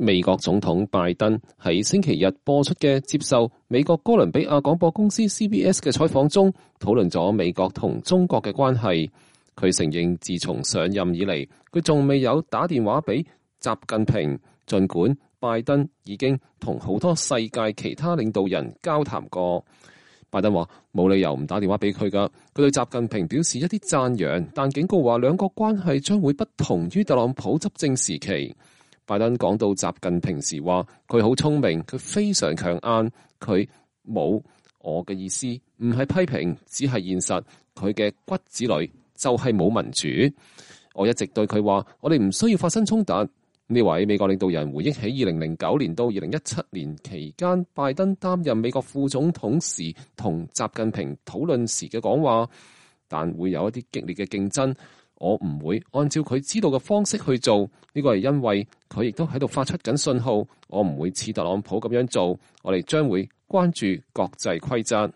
美國總統拜登喺星期日播出嘅接受美國哥倫比亞廣播公司 CBS 嘅採訪中，討論咗美國同中國嘅關係。佢承認自從上任以嚟，佢仲未有打電話俾習近平，儘管拜登已經同好多世界其他領導人交談過。拜登話冇理由唔打電話俾佢㗎，佢對習近平表示一啲讚揚，但警告話兩國關係將會不同於特朗普執政時期。拜登講到習近平時話佢好聰明，佢非常強硬，佢冇我嘅意思，唔係批評，只係現實。佢嘅骨子裏就係冇民主。我一直對佢話，我哋唔需要發生衝突。呢位美國領導人回憶起2009年到2017年期間，拜登擔任美國副總統時同習近平討論時嘅講話，但會有一啲激烈嘅競爭。我唔會按照佢知道嘅方式去做，呢個係因為佢亦都喺度發出緊信號。我唔會似特朗普咁樣做，我哋將會關注國際規則。